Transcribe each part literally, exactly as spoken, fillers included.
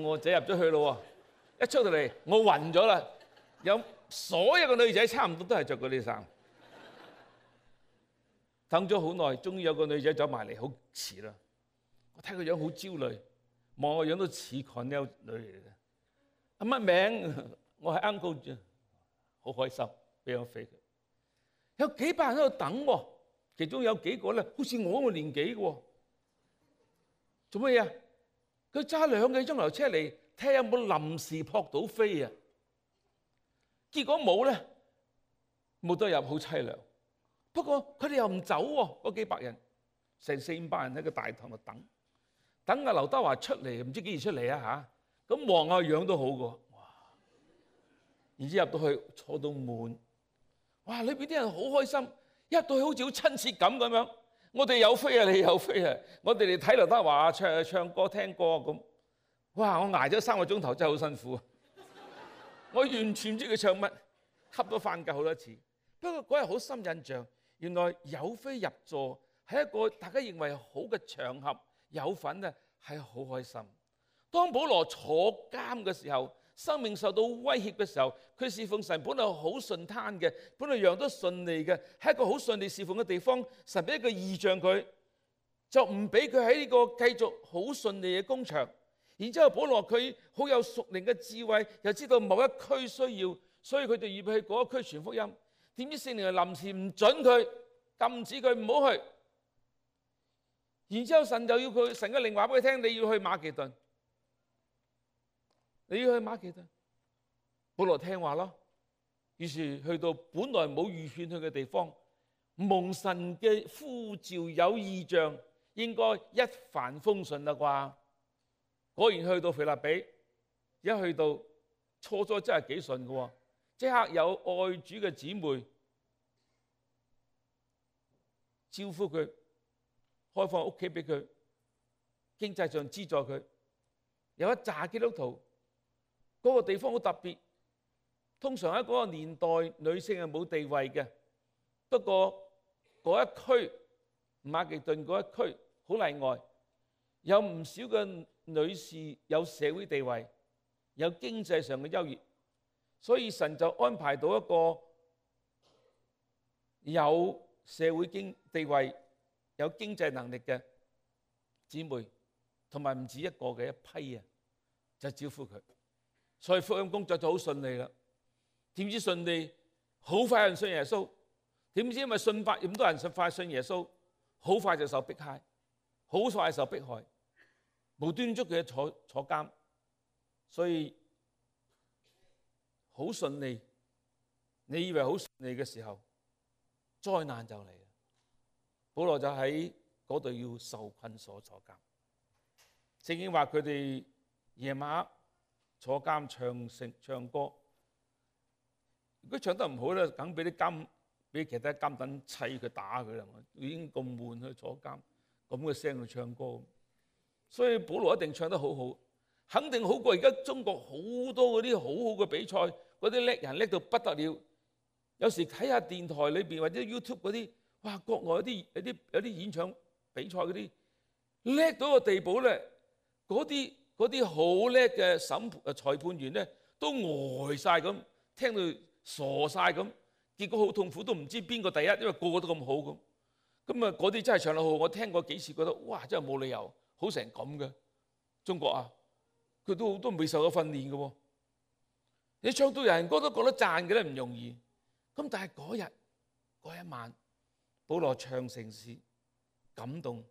我仔入咗去咯喎，一出到嚟我暈咗啦，有所有嘅女仔差唔多都係着嗰啲衫。等咗好耐，終於有個女仔走埋嚟，好遲啦。我睇個樣好焦慮，望個樣都似 Cornell 女嚟嘅。啊乜名？我係 Uncle 啫，好開心，俾我飛佢。有幾百人喺度等喎，其中有幾個咧，好似我咁嘅年紀嘅喎。做乜嘢啊？佢揸兩個鐘頭車嚟睇下有冇臨時撲到飛啊！結果冇咧，冇得入，好凄涼。不過佢哋又唔走喎，嗰幾百人，成四五百人喺個大堂度等，等阿劉德華出嚟，唔知幾時出嚟啊嚇！咁望下樣都好嘅，哇！然之後入到去坐到滿，哇！裏邊啲人好開心，一入到去好似好親切感咁樣。我哋有飛啊，你有飛啊！我哋嚟睇劉德華唱唱歌聽歌咁，哇！我捱咗三個鐘頭真係好辛苦啊！我完全唔知佢唱乜，瞌咗飯覺好多次。不過嗰日好深印象。原來有飛入座係一個大家認為好嘅場合，有份咧係好開心。當保羅坐監嘅時候，生命受到威脅嘅時候，佢侍奉神本來好順攤嘅，本來樣都順利嘅，係一個好順利侍奉嘅地方。神俾一個異象佢，就唔俾佢喺呢個繼續好順利嘅工場。然之後保羅佢好有屬靈嘅智慧，又知道某一區需要，所以佢就預備去嗰一區傳福音。點知聖靈臨時唔準佢，禁止佢唔好去。然之後神就要佢，神嘅靈話俾佢聽，你要去馬其頓，你要去馬其頓。保羅聽話咯，於是去到本來冇預勸去嘅地方，蒙神嘅呼召有異象，應該一帆風順啦啩。果然去到腓立比，一去到初初真係幾順嘅喎。即刻有愛主嘅姊妹招呼佢，開放屋企俾佢，經濟上資助佢。有一紮基督徒，嗰、那個地方好特別。通常喺嗰個年代，女性係冇地位嘅。不過嗰一區馬其頓嗰一區好例外，有唔少嘅女士有社會地位，有經濟上嘅優越。所以神就安排到一個有社會經地位、有經濟能力嘅姊妹，同埋唔止一個嘅一批啊，就招呼佢。所以福音工作就好順利啦。點知順利，好快有人信耶穌。點知因為信法咁多人信快信耶穌，好快就受迫害，好快受迫害，無端捉佢坐坐監。所以好順利，你以為好順利嘅時候，災難就嚟啦。保羅就喺嗰度要受困所坐監。聖經話佢哋夜晚坐監唱聖唱歌，如果唱得唔好咧，梗俾啲監俾其他監躉砌佢打佢啦。已經咁悶去坐監，咁嘅聲去唱歌，所以保羅一定唱得好好。肯定好過而家中國好多嗰啲好好嘅比賽，嗰啲叻人叻到不得了。有時睇下電台裏邊或者 YouTube 嗰啲，哇！國內有啲有啲有啲演唱比賽嗰啲叻到個地步咧，嗰啲嗰啲好叻嘅審誒裁判員咧都呆晒咁，聽到傻晒咁，結果好痛苦，都唔知邊個第一，因為個個都咁好咁。咁啊，嗰啲真係唱得好，我聽過幾次，覺得哇！真係冇理由好成咁嘅中國啊！佢都都未受過訓練嘅喎，你唱到人歌都覺得讚嘅咧，唔容易。咁但係嗰日嗰一晚，保羅唱聖詩，感動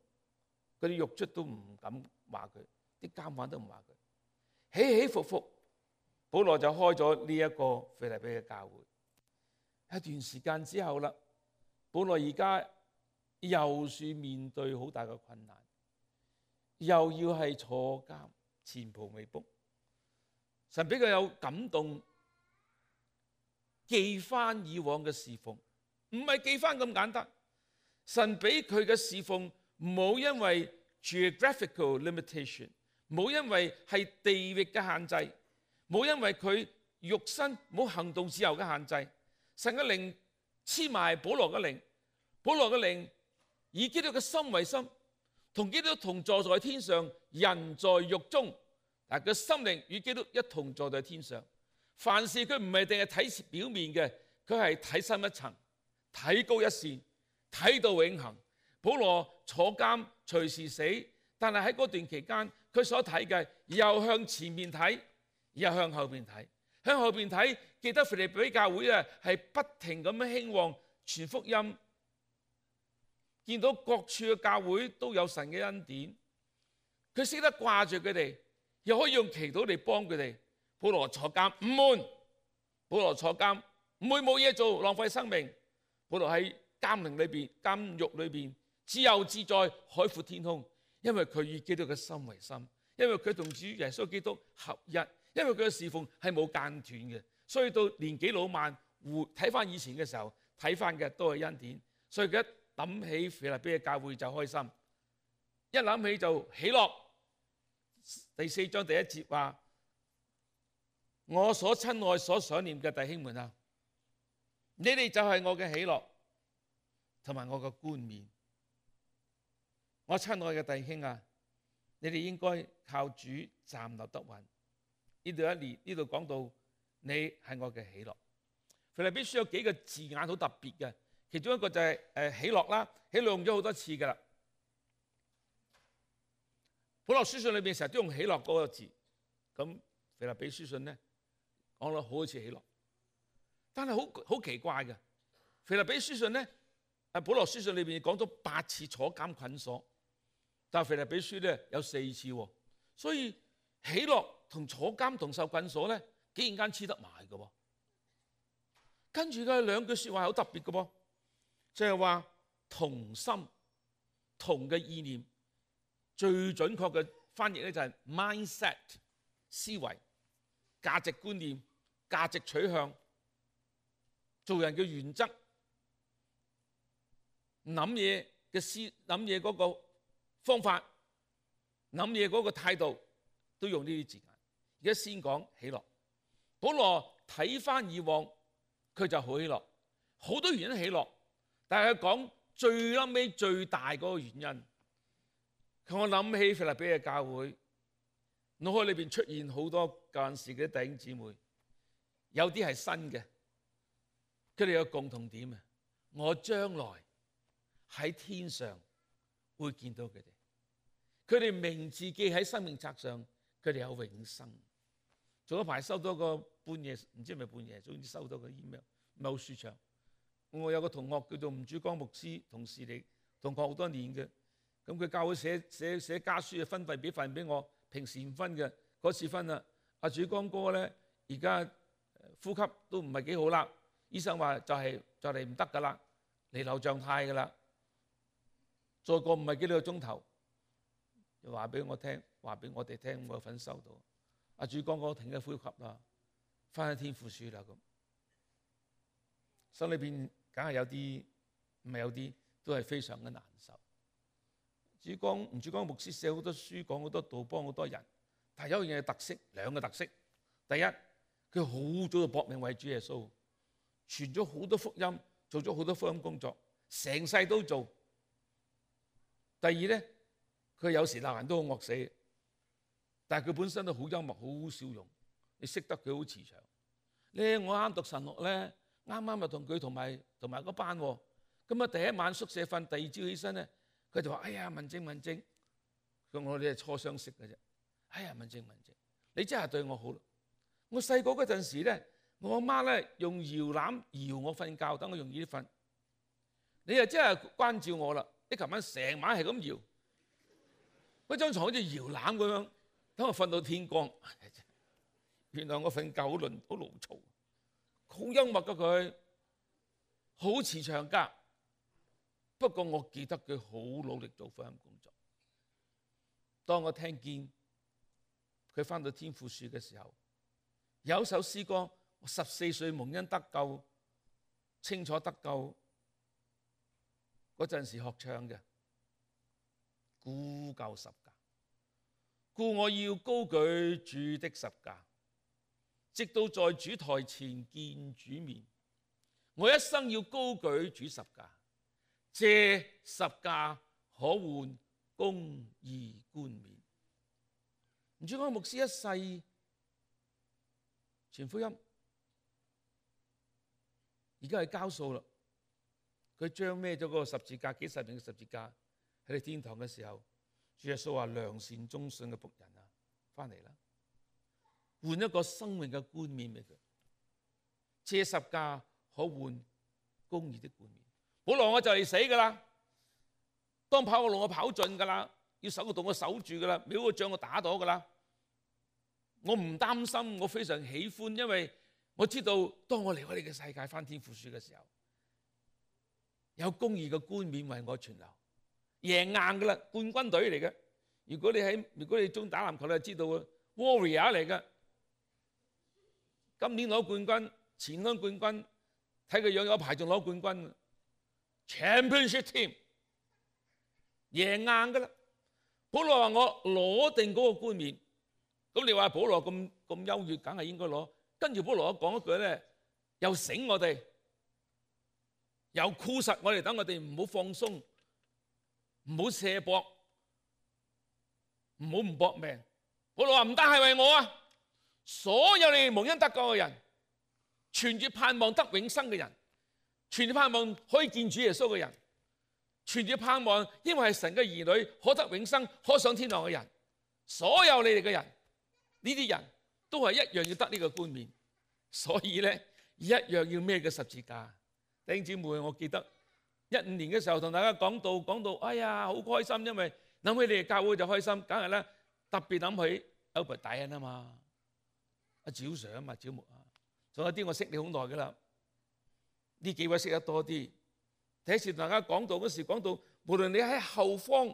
嗰啲獄卒都唔敢話佢，啲監犯都唔話佢，起起伏伏，保羅就開咗呢一個腓立比嘅教會。一段時間之後啦，保羅而家又算面對好大嘅困難，又要係坐監。前途未卜，神比較有感動，記翻以往嘅侍奉，唔係記翻咁簡單。神俾佢嘅侍奉冇因為 geographical limitation， 冇因為係地域嘅限制，冇因為佢肉身冇行動自由嘅限制。神嘅靈黐埋保羅嘅靈，保羅嘅靈以基督嘅心為心。同基督同坐在天上，人在獄中，但係佢心靈與基督一同坐在天上。凡事佢唔係淨係睇表面嘅，佢係睇深一層，睇高一線，睇到永恆。保羅坐監隨時死，但係喺嗰段期間，佢所睇嘅又向前面睇，又向後邊睇。向後邊睇，記得腓立比教會啊，係不停咁樣興旺傳福音，見到各處嘅教會都有神嘅恩典，佢識得掛住佢哋，又可以用祈禱嚟幫佢哋。保羅坐監唔悶，保羅坐監唔會冇嘢做，浪費生命。保羅喺監靈裏邊、監獄裏邊自由自在，海闊天空，因為佢與基督嘅心為心，因為佢同主耶穌基督合一，因為佢嘅侍奉係冇間斷嘅，所以到年紀老邁，睇翻以前嘅時候，睇翻嘅都係恩典。所以佢一諗起腓立比嘅教會就開心，一諗起就喜樂。第四章第一節話：我所親愛、所想念嘅弟兄們啊，你哋就係我嘅喜樂同埋我嘅冠冕。我親愛嘅弟兄啊，你哋應該靠主站立得穩。呢度一年呢度講到你係我嘅喜樂。腓立比書有幾個字眼好特別嘅，其中一個就係誒喜樂啦，喜樂用咗好多次噶啦。保羅書信裏邊成日都用喜樂嗰個字，咁腓立比書信咧講到好似喜樂，但係好好奇怪嘅。腓立比書信咧，誒保羅書信裏邊講咗八次坐監捆鎖，但係腓立比書咧有四次喎，所以喜樂同坐監同受捆鎖咧，竟然間黐得埋嘅喎。跟住嘅兩句説話好特別嘅噃，就係話同心同嘅意念。最準確嘅翻譯咧就係 mindset 思維、價值觀念、價值取向、做人嘅原則、諗嘢嘅思諗嘢嗰個方法、諗嘢嗰個態度，都用呢啲字眼。而家先講喜樂。保羅睇翻以往，佢就好喜樂，好多原因喜樂，但係佢講最撚尾最大嗰個原因。我諗起腓立比嘅教會，腦海裏邊出現好多舊陣時嘅弟兄姊妹，有啲係新嘅，佢哋有共同點啊！我將來喺天上會見到佢哋，佢哋名字記喺生命冊上，佢哋有永生。早一排收到個半夜，唔知係咪半夜，總之收到個 email， 唔係好舒暢。我有個同學叫做吳主光牧師，同事嚟，同學好多年嘅。咁佢教會寫寫寫家書啊，分費俾份俾我，平時唔分嘅，嗰次分啦。阿主光哥咧，而家呼吸都唔係幾好啦，醫生話就係就嚟唔得噶啦，彌留狀態噶啦，再過唔係幾多個鐘頭，就話俾我聽，話俾我哋聽，我有份收到。阿主光哥停咗呼吸啦，翻去天父樹啦咁，心裏邊梗係有啲，唔係有啲，都係非常嘅難受。主光吳主光牧師寫好多書，講好多道，幫好多人。但係有一樣嘢特色，兩個特色。第一，佢好早就搏命為主耶穌，傳咗好多福音，做咗好多福音工作，成世都做。第二咧，佢有時鬧人都好惡死，但係佢本身都好幽默，好笑容。你識得佢好慈祥。咧我啱讀神學咧，啱啱就同佢同埋同埋嗰班喎。咁啊第一晚宿舍瞓，第二朝起身咧。佢就話：哎呀，文靜文靜，佢我哋係初相識嘅啫。哎呀，文靜文靜，你真係對我好咯。我細個嗰陣時咧，我阿媽咧用搖籃搖我瞓覺，等我容易啲瞓。你又真係關照我啦！你琴晚成晚係咁搖，嗰張牀好似搖籃咁樣，等我瞓到天光。原來我瞓覺好亂好牢嘈，好幽默噶佢，好慈祥噶。不過我記得佢好努力做福音工作。當我聽見佢返到天父樹嘅時候，有一首詩歌，我十四歲蒙恩得救，清楚得救嗰陣時學唱嘅，孤救十架，故我要高舉主的十架，直到在主台前見主面。我一生要高舉主十架。借十架可換公義冠冕，吳志剛牧師一世傳福音，而家係交數啦。佢將孭咗嗰個十字架，幾十年嘅十字架喺你天堂嘅時候，主耶穌話：良善忠信嘅僕人啊，翻嚟啦，換一個生命嘅冠冕俾佢，借十架可換公義的冠冕。保羅，我就嚟死噶啦，當跑嘅路我跑盡噶啦，要守個洞我守住噶啦，每個仗我打到噶啦。我唔擔心，我非常喜歡，因為我知道當我離開呢個世界翻天覆地嘅時候，有公義嘅冠冕為我存留，贏硬噶啦，冠軍隊嚟嘅。如果你喺如果你中意打籃球，你就知道啊 ，Warrior 嚟嘅。今年攞冠軍，前年冠軍，睇個樣有排仲攞冠軍 ，Championship Team 贏硬噶啦。保羅話我攞定嗰個冠冕，咁你話保羅咁咁優越，梗係應該攞。跟住保羅講一句咧，又醒我哋，又箍實我哋，等我哋唔好放鬆，唔好卸膊，唔好唔搏命。保羅話唔單係為我啊，所有你哋蒙恩得救嘅人，存住盼望得永生嘅人，存住盼望可以見主耶穌嘅人，存住盼望因為係神嘅兒女可得永生可上天堂嘅人，所有你哋嘅人，呢啲人都係一樣要得呢個冠冕，所以咧一樣要孭個十字架。弟兄姊妹，我記得一五年嘅時候同大家講到講到，哎呀好開心，因為諗起你哋教會就開心，梗係咧特別諗起 Albert 大恩啊嘛，阿趙 Sir 啊嘛，趙牧啊，仲有啲我識你好耐噶啦，呢幾位識得多啲。第一次同大家講到嗰時講到，無論你喺後方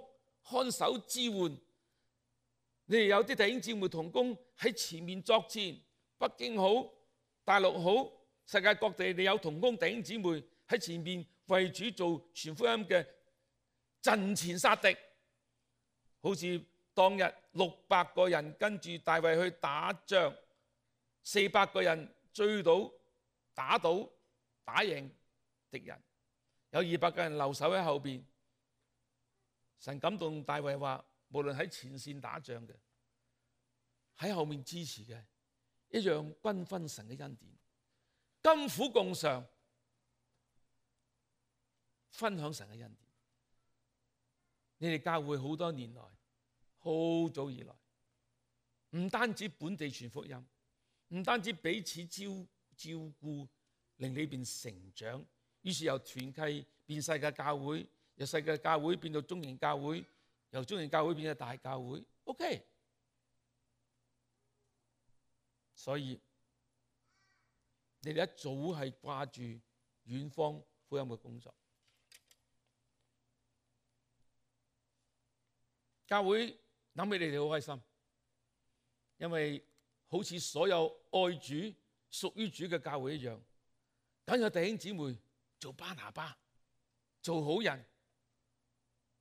看守支援，你哋有啲弟兄姊妹同工喺前面作戰，北京好，大陸好，世界各地你有同工弟兄姊妹喺前面為主做傳福音嘅陣前殺敵，好似當日六百個人跟住大衛去打仗，四百個人追到打倒打贏敵人，有二百個人留守喺後邊。神感動大衛話，無論喺前線打仗嘅，喺後面支持嘅，一樣均分神嘅恩典，甘苦共嘗，分享神嘅恩典。你哋教會好多年來，好早以來，唔單止本地傳福音，唔單止彼此照照顧，令你變成長，於是由團契變世界教會，由世界教會變到中型教會，由中型教會變到大教會。OK， 所以你哋一早係掛住遠方福音嘅工作。教會諗起你哋好開心，因為好似所有愛主、屬於主嘅教會一樣，梗有弟兄姊妹做巴拿巴、做好人。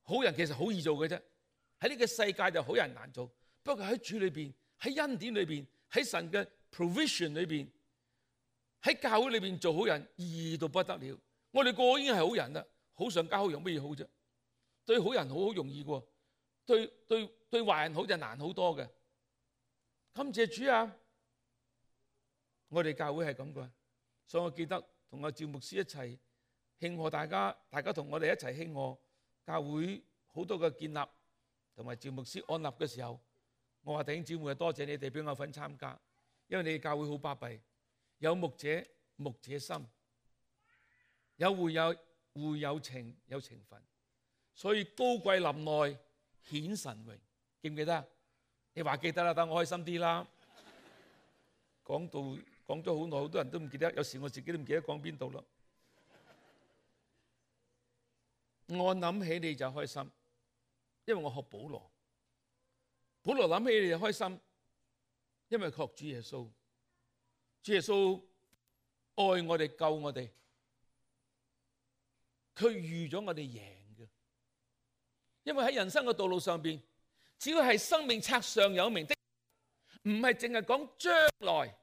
好人其實好易做嘅啫，喺呢個世界就好人難做。不過喺主裏邊、喺恩典裏邊、喺神嘅 provision 裏邊、喺教會裏邊做好人易到不得了。我哋個個已經係好人啦，好上加好有乜嘢好啫？對好人好好容易嘅，對對對壞人好就難好多嘅。感謝主啊！我哋教會係咁嘅，所以我記得同阿趙牧師一齊慶賀大家，大家同我哋一齊慶賀教會好多嘅建立，同埋趙牧師安立嘅時候，我話弟兄姊妹，多謝你哋俾我份參加，因為你哋教會好巴閉，有牧者牧者心，有會友會有情有情分，所以高貴臨內顯神榮，記唔記得啊？你話記得啦，等我開心啲啦。講到講咗好耐，好多人都唔記得，有時我自己都唔記得講邊度啦。我諗起你就開心，因為我學保羅。保羅諗起你就開心，因為學主耶穌。主耶穌愛我哋，救我哋，佢預咗我哋贏嘅。因為喺人生嘅道路上邊，只要係生命冊上有名的，唔係淨係講將來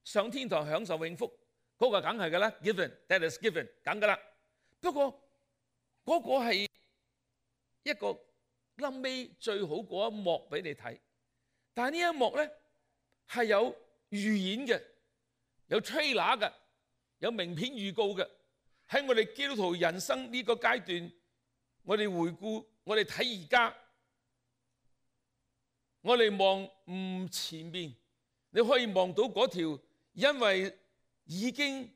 上天堂享受永福，嗰個梗係噶啦 ，given that is given，梗噶啦。不過嗰個係一個臨尾最好嗰一幕俾你睇，但係呢一幕咧係有預演嘅，有 trailer 嘅，有名片預告嘅。喺我哋基督徒人生呢個階段，我哋回顧，我哋睇而家，我哋望唔前面，你可以望到嗰條因為已經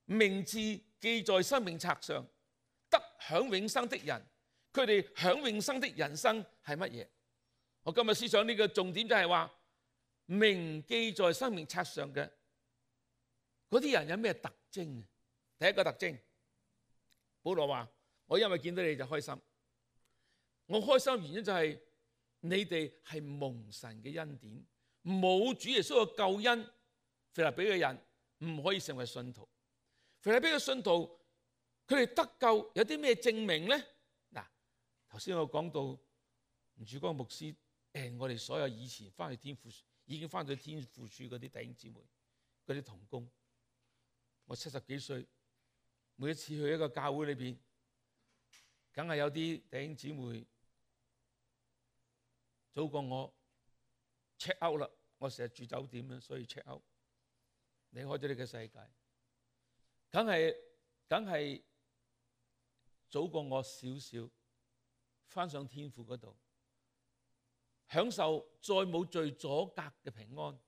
名字記在生命冊上，得享永生的人，佢哋享永生的人生係乜嘢？我今日思想呢個重點就係話，名記在生命冊上嘅嗰啲人有咩特徵？第一個特徵，保羅話：我因為見到你就開心。我開心嘅原因就係你哋係蒙神嘅恩典，冇主耶穌嘅救恩，腓立比嘅人唔可以成為信徒。腓立比嘅信徒，佢哋得救有啲咩證明咧？嗱，頭先我講到吳柱光牧師，誒，我哋所有以前翻去天父已經翻去天父處嗰啲弟兄姊妹，嗰啲同工，我七十幾歲，每一次去一個教會裏邊，梗係有啲弟兄姊妹早過我 check out 啦。我成日住酒店啦，所以 check out 離開咗呢個世界，梗係梗係早過我少少，翻上天父嗰度，享受再冇罪阻隔嘅平安，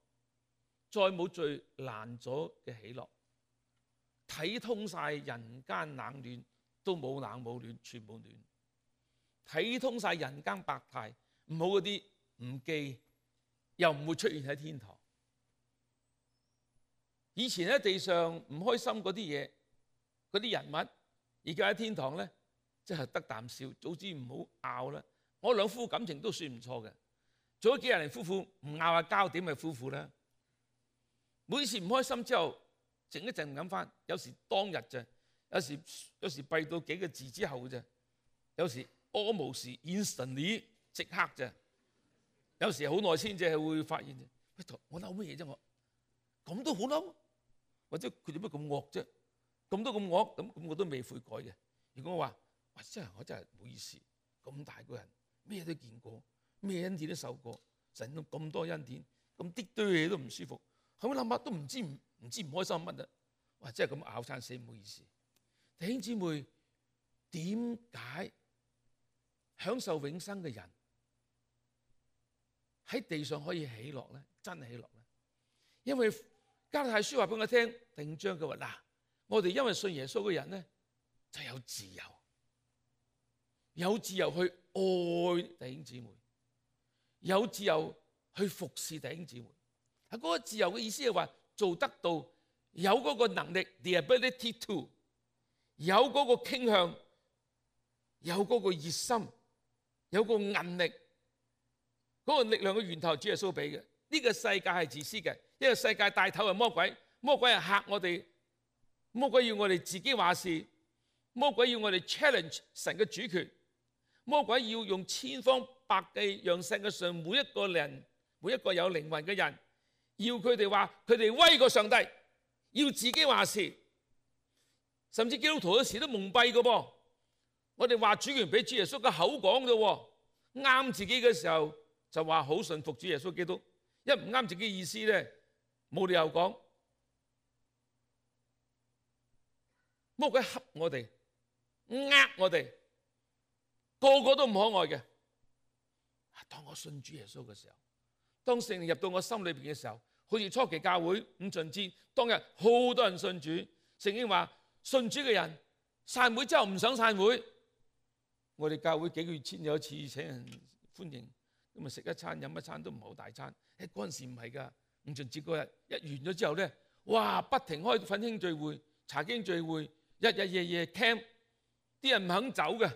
再冇罪攔阻嘅喜樂，睇通晒人間冷暖，都冇冷冇暖，全部暖，睇通晒人間百態，唔好嗰啲唔記，又唔會出現喺天堂。以前喺地上唔開心嗰啲嘢，嗰啲人物，而家喺天堂咧，即係得啖笑，早知唔好拗啦。我兩夫感情都算唔錯嘅，做咗幾廿年夫婦，唔拗下交點係夫婦啦。每次唔開心之後，靜一靜諗翻，有時當日啫，有時有時閉到幾個字之後啫，有時屙無時 instantly 即刻啫，有時好耐先至係會發現啫。喂，我嬲乜嘢啫？我咁都好嬲，或者佢點解咁惡啫？咁都咁惡，咁咁我都未悔改嘅。如果我話，哇，真係我真係唔好意思，咁大個人咩都見過，咩恩典都受過，神都咁多恩典，咁啲堆嘢都唔舒服，後尾諗下都唔知唔唔知唔開心乜啊！哇，真係咁咬餐死，唔好意思。弟兄姊妹，點解享受永生嘅人喺地上可以喜樂咧？真係喜樂咧？因為加拉太書話俾我聽，第五章佢話嗱，我哋因為信耶穌嘅人咧就有自由，有自由去愛弟兄姊妹，有自由去服侍弟兄姊妹。喺嗰個自由嘅意思係話做得到，有嗰個能力 ，the ability to， 有嗰個傾向，有嗰個熱心，有個韌力，嗰個力量嘅源頭主耶穌俾嘅。呢個世界係自私嘅，因為世界帶頭係魔鬼，魔鬼係嚇我哋，魔鬼要我哋自己話事，魔鬼要我哋 challenge 神嘅主權，魔鬼要用千方百計讓世界上每一個人，每一個有靈魂嘅人，要佢哋話佢哋威過上帝，要自己話事，甚至基督徒有時都蒙蔽嘅噃。我哋話主權俾主耶穌嘅口講啫喎，啱自己嘅時候就話好順服主耶穌基督。一唔啱自己意思咧，冇理由講。魔鬼恰我哋，呃我哋，個個都唔可愛嘅。當我信主耶穌嘅時候，當聖靈入到我心裏邊嘅時候，好似初期教會五旬節當日好多人信主，聖經話信主嘅人散會之後唔想散會。我哋教會幾個月前有一次請人歡迎，咁啊食一餐飲一餐都唔係好大餐。誒嗰陣時唔係㗎，五旬節嗰日一完咗之後咧，哇不停開奮興聚會、查經聚會，日日夜夜 camp， 啲人唔肯走嘅，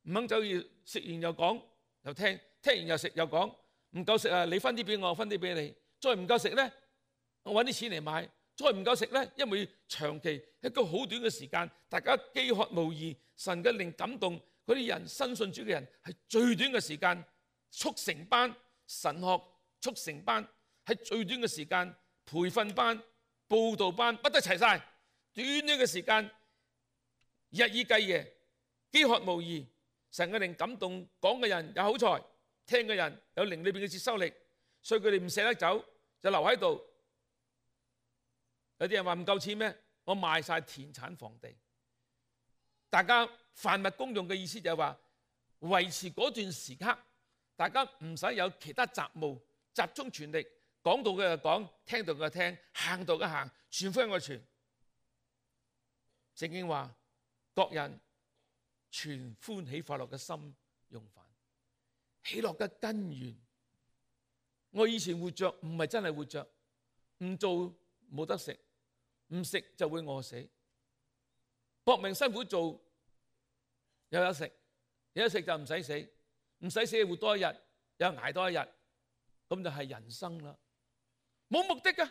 唔肯走要食完又講又聽，聽完又食又講，唔夠食啊你分啲俾我，我分啲俾你，再唔夠食咧，我揾啲錢嚟買，再唔夠食咧，因為長期一個好短嘅時間，大家飢渴慕義，神嘅靈感動嗰啲人新信主嘅人係最短嘅時間，速成班神學。速成班喺最短嘅時間，培訓班、佈道班不得齊晒，短短嘅時間，日以繼夜，飢渴慕義，神嘅靈感動，講嘅人有口才，聽嘅人有靈裏邊嘅接收力，所以佢哋唔捨得走，就留喺度。有啲人話唔夠錢咩？我賣晒田產房地。大家凡物公用嘅意思就係話維持嗰段時刻，大家唔使有其他雜務，集中全力，講到嘅就講，聽到嘅就聽，行到嘅行，傳福音嘅傳。聖經話各人全歡喜快樂嘅心用飯，喜樂嘅根源。我以前活着唔係真係活着，唔做冇得食，唔食就會餓死，搏命辛苦做有得食，有得食就唔使死，唔使死活多一日，又捱多一日，咁就係人生啦。冇目的嘅，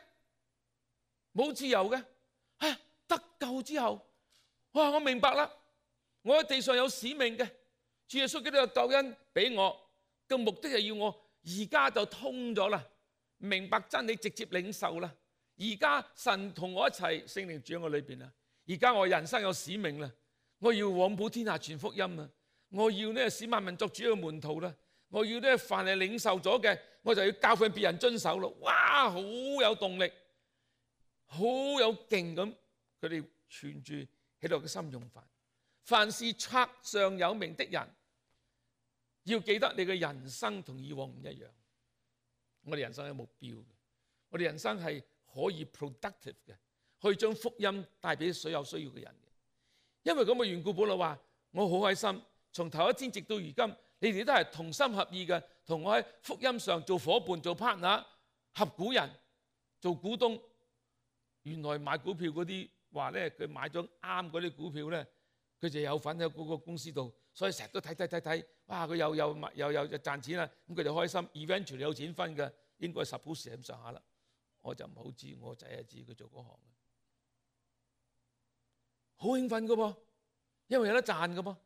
冇自由嘅，啊，得救之後，哇！我明白啦，我喺地上有使命嘅，主耶穌基督嘅救恩俾我嘅目的係要我而家就通咗啦，明白真理，直接領受啦。而家神同我一齊，聖靈住喺我裏邊啦。而家我人生有使命啦，我要往普天下傳福音啊！我要呢使萬民作主嘅門徒啦，我要呢凡係領受咗嘅，我就要教訓別人遵守咯。哇，好有動力，好有勁咁，佢哋存住喜樂嘅心用飯。凡是冊上有名的人，要記得你嘅人生同以往唔一樣。我哋人生有目標嘅，我哋人生係可以 productive 嘅，可以將福音帶俾所有需要嘅人嘅。因為咁嘅緣故，保羅話：我好開心，從頭一天直到如今，你哋都係同心合意嘅，同我喺福音上做伙伴、做 partner、合股人、做股東。原來買股票嗰啲話咧，佢買咗啱嗰啲股票咧，佢就有份喺嗰個公司度，所以成日都睇睇睇睇，哇！佢又又又又又賺錢啦，咁佢哋開心 ，eventually 有錢分嘅，應該 suppose 係咁上下啦。我就唔好知，我仔係知佢做嗰行嘅，好興奮嘅噃，因為有得賺嘅噃。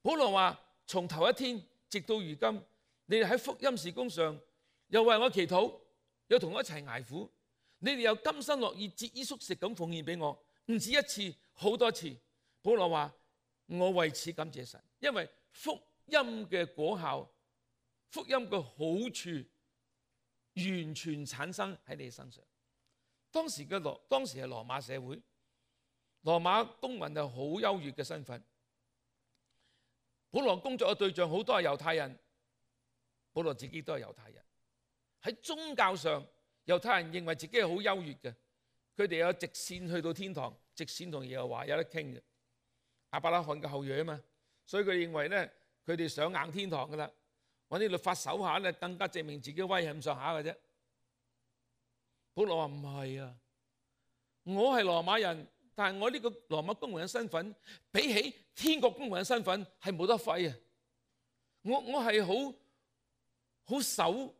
保羅話：從頭一天直到如今，你哋喺福音事工上又為我祈禱，又同我一齊捱苦，你哋又甘心樂意節衣縮食咁奉獻俾我，唔止一次，好多次。保羅話：我為此感謝神，因為福音嘅果效，福音嘅好處完全產生喺你身上。當時嘅羅，當時係羅馬社會，羅馬公民係好優越嘅身份。保羅工作嘅對象好多係猶太人，保羅自己都係猶太人。喺宗教上，猶太人認為自己係好優越嘅，佢哋有直線去到天堂，直線同耶和華有得傾嘅。亞伯拉罕嘅後裔啊嘛，所以佢認為咧，佢哋上硬天堂噶啦，揾啲律法守下咧，更加證明自己威係咁上下嘅啫。保羅話唔係啊，我係羅馬人，但係我呢個羅馬公民嘅身份，比起天國公民嘅身份係冇得揮啊！我我係好好守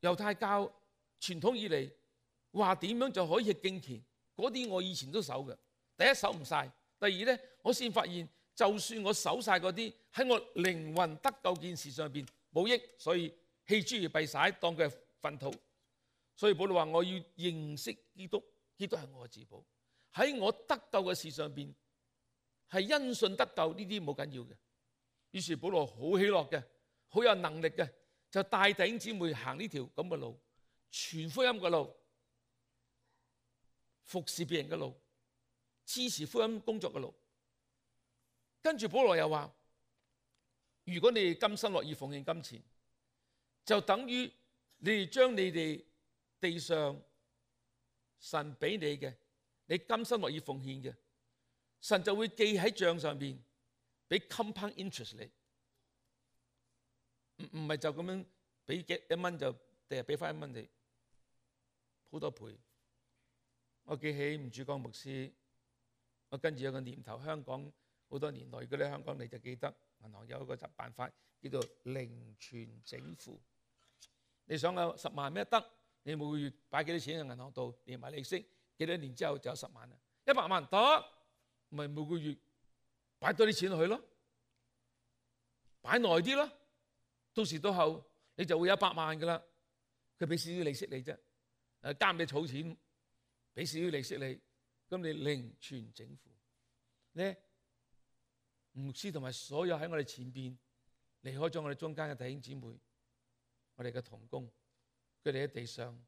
猶太教傳統以嚟話點樣就可以敬虔，嗰啲我以前都守嘅。第一守唔晒，第二咧，我先發現就算我守晒嗰啲，喺我靈魂得救件事上邊冇益，所以棄諸如敝屣，當佢係糞土。所以保羅話：我要認識基督，基督係我嘅自保。喺我得救嘅事上邊，係因信得救呢啲冇緊要嘅。於是保羅好喜樂嘅，好有能力嘅，就帶弟兄姊妹行呢條咁嘅路，傳福音嘅路，服侍別人嘅路，支持福音工作嘅路。跟住保羅又話：如果你哋甘心樂意奉獻金錢，就等於你哋將你哋地上神俾你嘅，你甘心樂意奉獻嘅，神就會記喺帳上邊，俾 compound interest 你。唔唔係就咁樣俾幾一蚊就第日俾翻一蚊你，好多倍。我記起吳主光牧師，我跟住有個念頭，香港好多年來，如果你喺香港你就記得銀行有一個辦法叫做零存整付。你想有十萬咩得？你每個月擺幾多錢喺銀行度，連埋利息，幾多年之後就有十萬啦。一百萬得，咪每個月擺多啲錢落去咯，擺耐啲咯，到時到後你就會有一百萬噶啦。佢俾少少利息你啫，誒監你儲錢，俾少少利息你，咁你零存整付咧。牧師同埋所有喺我哋前邊離開咗我哋中間嘅弟兄姊妹，我哋嘅同工，佢哋喺地上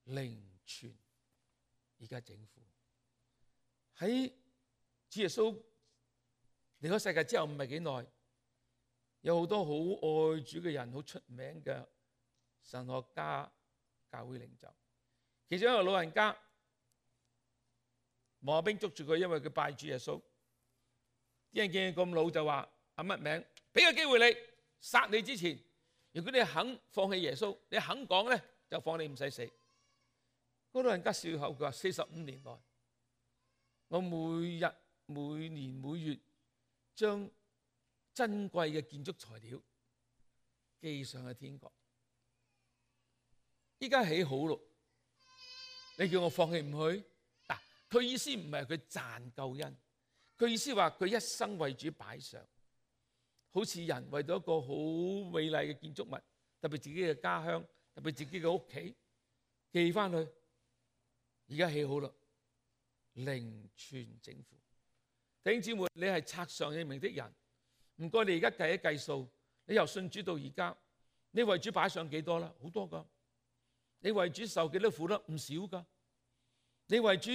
靈傳，而家政府喺主耶穌離開世界之後唔係幾耐，有好多好愛主嘅人，好出名嘅神學家、教會領袖。其中一個老人家，王亞兵捉住佢，因為佢拜主耶穌。啲人見佢咁老就話：阿乜名？俾個機會你，殺你之前，如果你肯放棄耶穌，你肯講咧，就放你唔使死。嗰老人家笑口，佢話：四十五年來，我每日、每年、每月將珍貴嘅建築材料寄上去天國。依家起好咯，你叫我放棄唔去？嗱，佢意思唔係佢賺救恩，佢意思話佢一生為主擺上，好似人為咗一個好美麗嘅建築物，特別自己嘅家鄉，特別自己嘅屋企寄翻去。而家起好啦，靈傳整副。弟兄姊妹，你係冊上有名的人，唔該你而家計一計數，你由信主到而家，你為主擺上幾多啦？好多噶。你為主受幾多苦啦？唔少噶。你為主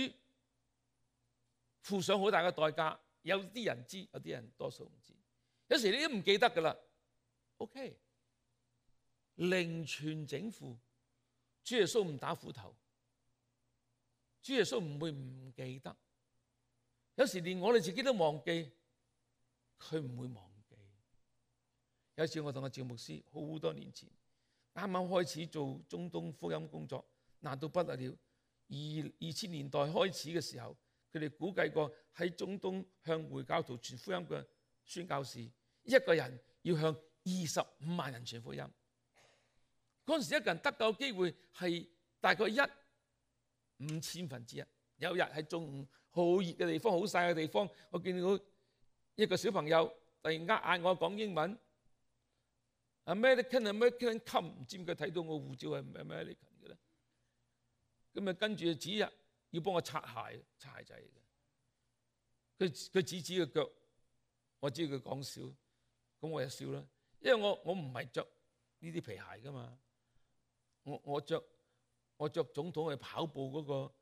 付上好大嘅代價，有啲人知，有啲人多數唔知。有時你都唔記得噶啦。OK， 靈傳整副，主耶穌唔打斧頭，主耶穌唔會唔記得。有時連我哋自己都忘記，佢唔會忘記。有一次我同阿趙牧師好多年前啱啱開始做中東福音工作，難到不得了。二二千年代開始嘅時候，佢哋估計過喺中東向回教徒傳福音嘅宣教士，一個人要向二十五萬人傳福音。嗰陣時一個人得救機會係大概一五千分之一。有日喺中午好熱嘅地方，好曬嘅地方，我見到一個小朋友突然間嗌我講英文 ，American American come， 唔知點解睇到我護照係 American 嘅咧？咁啊跟住指日要幫我擦鞋，擦鞋仔嘅。佢佢指指個腳，我知佢講笑，咁我就笑啦，因為我我唔係着呢啲皮鞋噶嘛，我我著我著總統去跑步嗰個。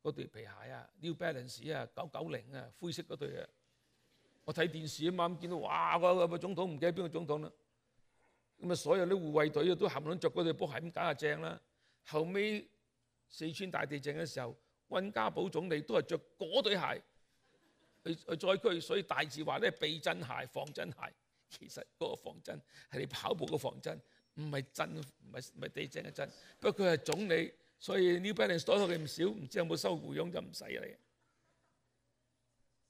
嗰對皮鞋啊 ，New Balance 啊，九九零啊，灰色嗰對啊。我睇電視啊嘛，咁見到哇，個個總統唔記得邊個總統啦。咁啊，所有啲護衛隊啊都冚唪唥著嗰對波鞋咁梗係正啦。後尾四川大地震嘅時候，溫家寶總理都係著嗰對鞋去去災區，所以大字話咧避震鞋、防震鞋。其實嗰個防震係你跑步嘅防震，唔係震，唔係唔係地震嘅震。不過佢係總理。所以 New Balance 多咗佢唔少，唔知有冇收護傭就唔使啦。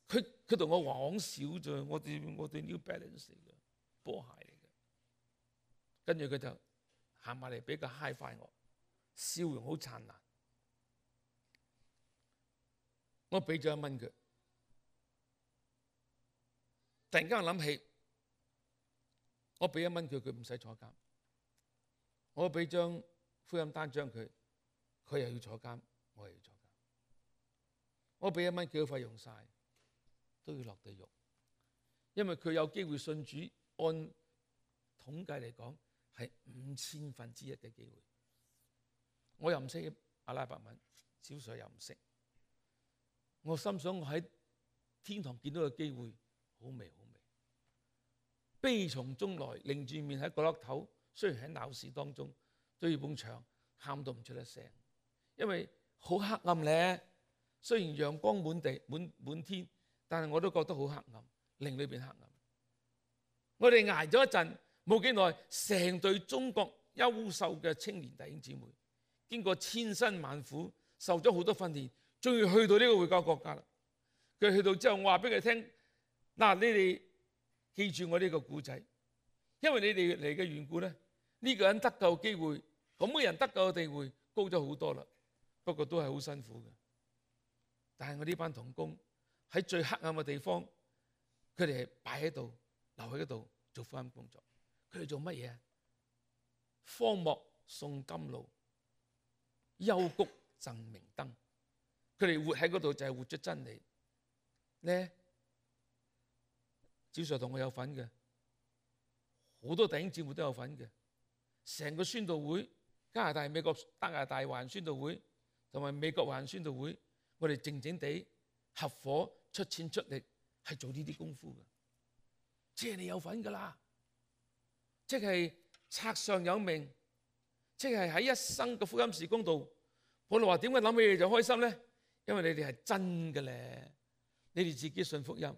佢佢同我講少啫，我哋我哋 New Balance 嚟嘅波鞋嚟嘅。跟住佢就行埋嚟俾個 high five我，笑容好燦爛。我俾咗一蚊佢，突然間我諗起，我俾一蚊佢，佢唔使坐監。我俾張福音單張佢。佢又要坐監，我又要坐監。我俾一蚊佢嘅費用晒，都要落地獄，因為佢有機會信主，按統計嚟講係五千分之一嘅機會。我又唔識阿拉伯文，小水又唔識。我心想我喺天堂見到嘅機會好微好微，悲從中來，擰住面喺角落頭，雖然喺鬧市當中對住埲牆，喊到唔出一聲。因為好黑暗咧，雖然陽光滿地滿滿天，但係我都覺得好黑暗，令裏邊黑暗。我哋捱咗一陣，冇幾耐，成隊中國優秀嘅青年弟兄姊妹，經過千辛萬苦，受咗好多訓練，終於去到呢個回教國家啦。佢去到之後，我話俾佢聽：嗱，你哋記住我呢個故仔，因為你哋嚟嘅緣故咧，呢個人得救機會，咁嘅人得救嘅地位高咗好多啦。不過都係好辛苦嘅，但係我呢班同工喺最黑暗嘅地方，佢哋係擺喺度，留喺嗰度做福音工作。佢哋做乜嘢啊？荒漠送甘露，幽谷贈明燈。佢哋活喺嗰度就係活出真理咧。趙 Sir 同我有份嘅，好多弟兄姊妹都有份嘅。成個宣道會加拿大、美國、加拿大華人宣道會同埋美國華人宣道會，我哋靜靜地合夥出錢出力，係做呢啲功夫嘅，即係你有份㗎啦，即係冊上有名，即係喺一生嘅福音事工度。保羅話點解諗起你就開心咧？因為你哋係真嘅咧，你哋自己信福音，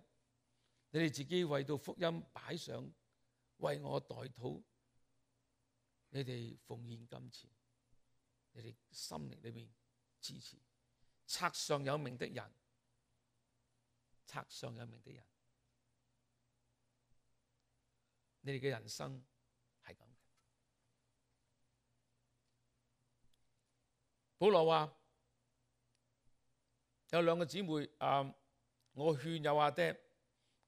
你哋自己為到福音擺上，為我代禱，你哋奉獻金錢，你哋心靈裏面支持，冊上有名的人，冊上有名的人，你哋嘅人生係咁嘅。保羅話有兩個姊妹，啊，我勸友阿爹，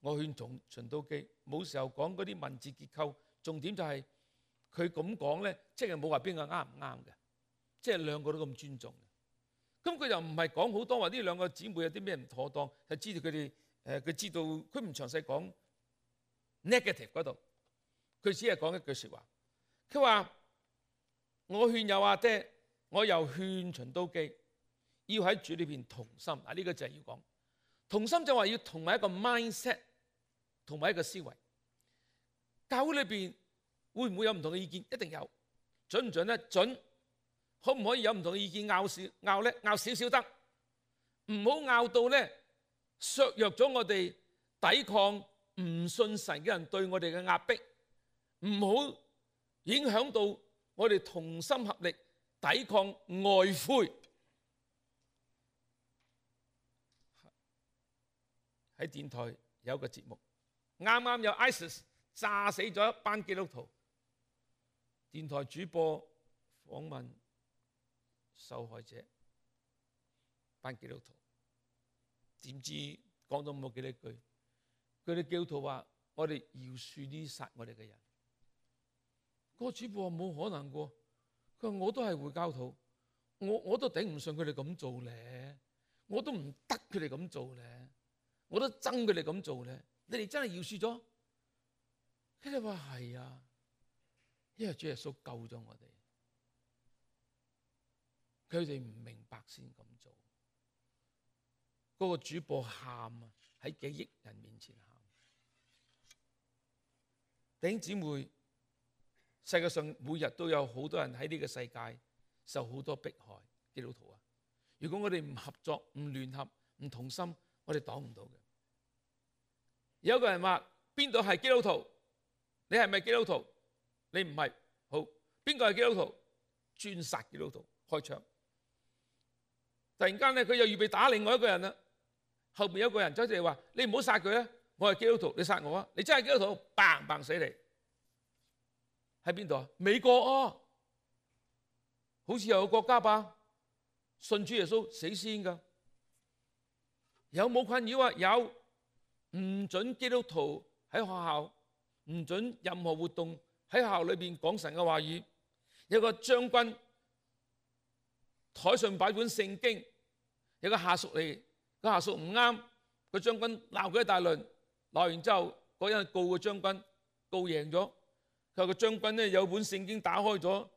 我勸從循都基，冇時候講嗰啲文字結構，重點就係佢咁講咧，即係冇話邊個啱唔啱嘅，即係兩個都咁尊重嘅。咁佢又唔係講好多話呢兩個姊妹有啲咩唔妥當，係知道佢哋誒，佢知道佢唔詳細講 negative 嗰度，佢只係講一句説話。佢話我勸友阿爹，我又勸循都基，要喺主裏邊同心。嗱，呢個就係要講同心，就話要同埋一個 mindset， 同埋一個思維。教會裏邊會唔會有唔同嘅意見？一定有。準唔準咧？準。可唔可以有唔同嘅意見拗少拗咧？拗少少得，唔好拗到咧削弱咗我哋抵抗唔信神嘅人對我哋嘅壓迫，唔好影響到我哋同心合力抵抗外灰。喺電台有個節目，啱啱有 ISIS 炸死咗一班基督徒，電台主播訪問受害者班基督徒，點知講到冇幾多句，佢哋基督徒話：我哋饒恕呢殺我哋嘅人。嗰個主播話冇可能㗎，佢話我都係回教徒，我我都頂唔順佢哋咁做咧，我都唔得佢哋咁做咧，我都憎佢哋咁做咧。你哋真係饒恕咗？佢哋話係啊，因為主耶穌救咗我哋。佢哋唔明白先咁做，嗰個主播喊啊，喺幾億人面前喊。弟兄姊妹，世界上每日都有好多人喺呢個世界受好多迫害，基督徒啊！如果我哋唔合作、唔聯合、唔同心，我哋擋唔到嘅。有一個人話：邊度係基督徒？你係咪基督徒？你唔係，好，邊個係基督徒？專殺基督徒，開槍。突然間咧，佢又預備打另外一個人啦。後邊有一個人走出嚟話：你唔好殺佢啊！我係基督徒，你殺我啊！你真係基督徒，砰砰死你！喺邊度啊？美國啊，好似有個國家吧？信主耶穌死先㗎。有冇困擾啊？有，唔准基督徒喺學校，唔准任何活動喺學校裏邊講神嘅話語。有個將軍台上擺本聖經，有個下屬嚟，個下屬唔啱，個將軍鬧佢一大輪，鬧完之後嗰人告個將軍，告贏咗。佢話個將軍咧有本聖經打開咗，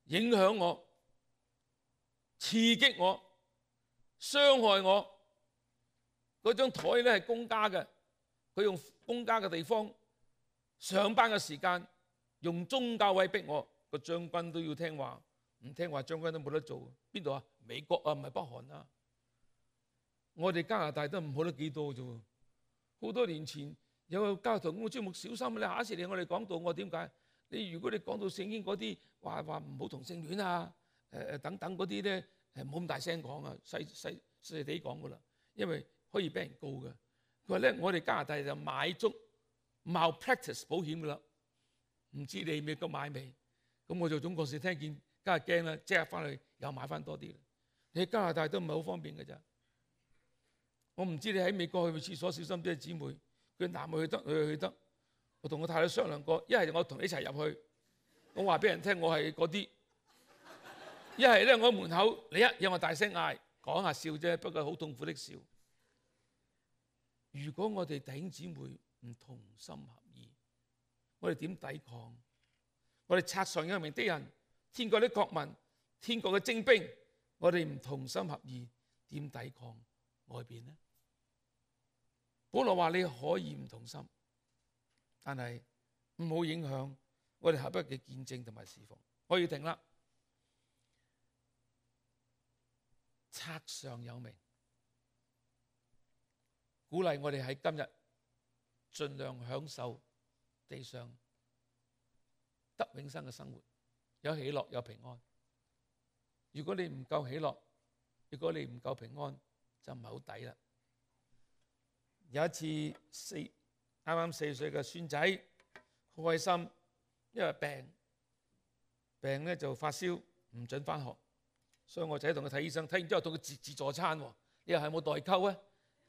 影響我、刺激我、傷害我。嗰張台咧係公家嘅，佢用公家嘅地方上班嘅時間，用宗教威逼我，個將軍都要聽話。唔聽話，將軍都冇得做。邊度啊？美國啊，唔係北韓啊。我哋加拿大都唔好得幾多啫。好多年前有個教徒咁嘅節目，小心你下一次嚟我哋講道。我點解？你如果你講到聖經嗰啲話話唔好同性戀啊，誒誒等等嗰啲咧，誒唔好咁大聲講啊，細細細細地講噶啦，因為可以俾人告嘅。佢話咧，我哋加拿大就買足 malpractice 保險噶啦，唔知你美國買未？咁我做總幹事聽見。梗係驚啦，即刻翻去又買翻多啲。你喺加拿大都唔係好方便嘅咋。我唔知你喺美國去廁所小心啲，姊妹。佢男去得，女去得。我同我太太商量過，一係我同你一齊入去，我話俾人聽我係嗰啲；一係咧我喺門口，你一有我大聲嗌，講下笑啫，不過好痛苦的笑。如果我哋弟兄姊妹唔同心合意，我哋點抵抗？我哋冊上有名的人，天國的國民，天國嘅精兵，我哋唔同心合意，點抵抗外邊呢？保羅話你可以唔同心，但係唔好影響我哋合一嘅見證同埋侍奉。可以停啦。冊上有名，鼓勵我哋喺今日盡量享受地上得永生嘅生活，有喜樂有平安。如果你唔夠喜樂，如果你唔夠平安，就唔係好抵啦。有一次四啱啱四歲嘅孫仔好開心，因為病病咧就發燒，唔准返學。所以我仔同佢睇醫生，睇完之後同佢自自助餐喎。你又係冇代溝啊？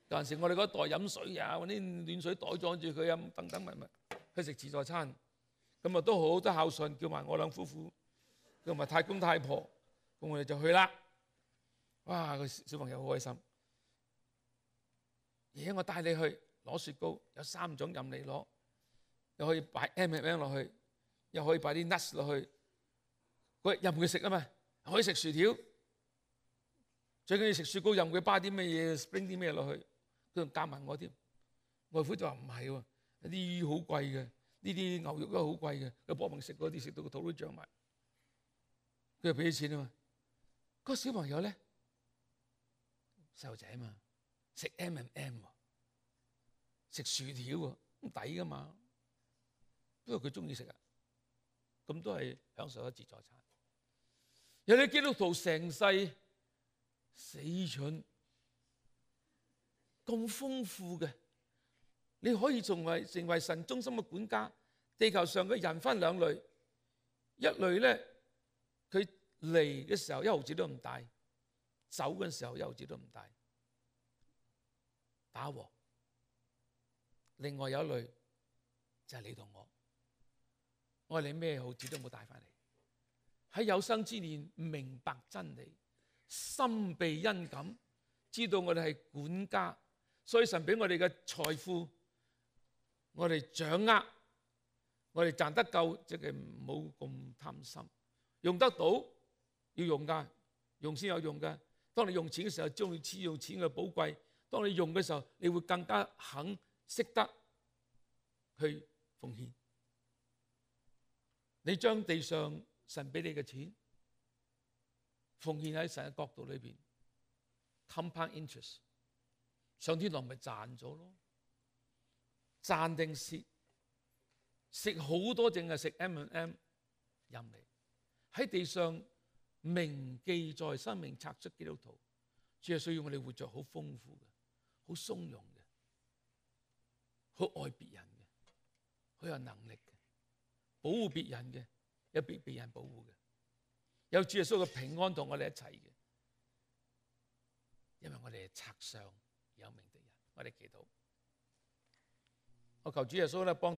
有陣時我哋嗰袋飲水啊，揾啲暖水袋裝住佢啊，等等咪咪去食自助餐。咁啊都好都孝順，叫埋我兩夫婦，叫埋太公太婆，咁我哋就去啦。哇！個小朋友好開心。爺爺我帶你去攞雪糕，有三種任你攞，又可以擺 M and M 落去，又可以擺啲 nuts 落去，佢任佢食啊嘛。可以食薯條，最緊要食雪糕，任佢巴啲咩嘢 ，spring 啲咩落去，佢仲夾埋我添。外父就話唔係喎，啲魚好貴嘅，呢啲牛肉都好貴嘅，佢搏命食嗰啲，食到個肚都脹埋。佢就俾啲錢啊嘛。嗰個小朋友咧，細路仔啊嘛，食 M and M 喎，食薯條喎，咁抵噶嘛。不過佢中意食啊，咁都係享受咗自助餐。有啲基督徒成世死蠢咁豐富嘅，你可以成為成為神中心嘅管家。地球上嘅人分兩類，一類咧佢嚟嘅時候一毫子都唔帶，走嘅時候一毫子都唔帶，打和。另外有一類就係你同我，我哋咩毫子都冇帶翻嚟。喺有生之年明白真理，心被恩感，知道我哋係管家，所以神俾我哋嘅財富，我哋掌握，我哋賺得夠，即係唔好咁貪心，用得到要用噶，用先有用噶。當你用錢嘅時候，將你知用錢嘅寶貴；當你用嘅時候，你會更加肯識得去奉獻。你將地上神俾你嘅錢奉獻喺神嘅角度裏邊 ，compound interest， 上天堂咪賺咗咯？賺定蝕？食好多淨係食 M and M， 任你喺地上銘記在生命冊出基督徒，主係需要我哋活着好豐富嘅，好鬆容嘅，好愛別人嘅，好有能力嘅，保護別人嘅。有被被人保護嘅，有主耶穌嘅平安同我哋一齊嘅，因為我哋係冊上有名的人。我哋祈禱，我求主耶穌咧幫。